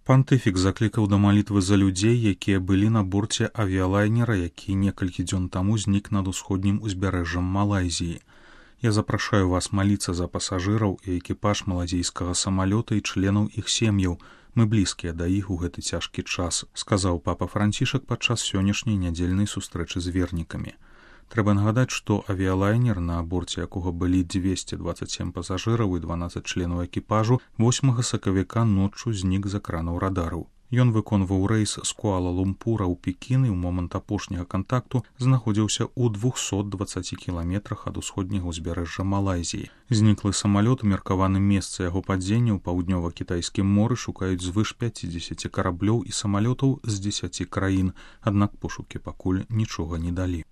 Пантыфік заклікаў да малітвы за людзей, якія былі на борце авіялайнера, які некалькі дзён таму знік над усходнім узбярэжжам Малайзіі. Я запрашаю вас маліцца за пасажыраў і экіпаж маладзейскага самалёта і членаў іх сем'яў. Мы блізкія да іх у гэты цяжкі час, сказаў папа Францішак падчас сённяшняй нядзельнай сустрэчы з вернікамі. Трэба нагадаць, што авіялайнер, на борце якога былі 227 пасажыраў і 12 членаў экіпажу, 8 сакавіка ноччу знік з экранаў радараў. Ён выконваў рэйс з Куала-Лумпура ў Пекін і ў момант апошняга кантакту знаходзіўся ў 220 кіламетрах ад усходняга ўзбярэжжа Малайзіі. Зніклы самалёт у меркаваным месцы яго падзення ў паўднёва-кітайскім моры шукаюць звыш 50 караблёў і самалётаў з 10 краін, аднак пошукі пакуль нічога не далі.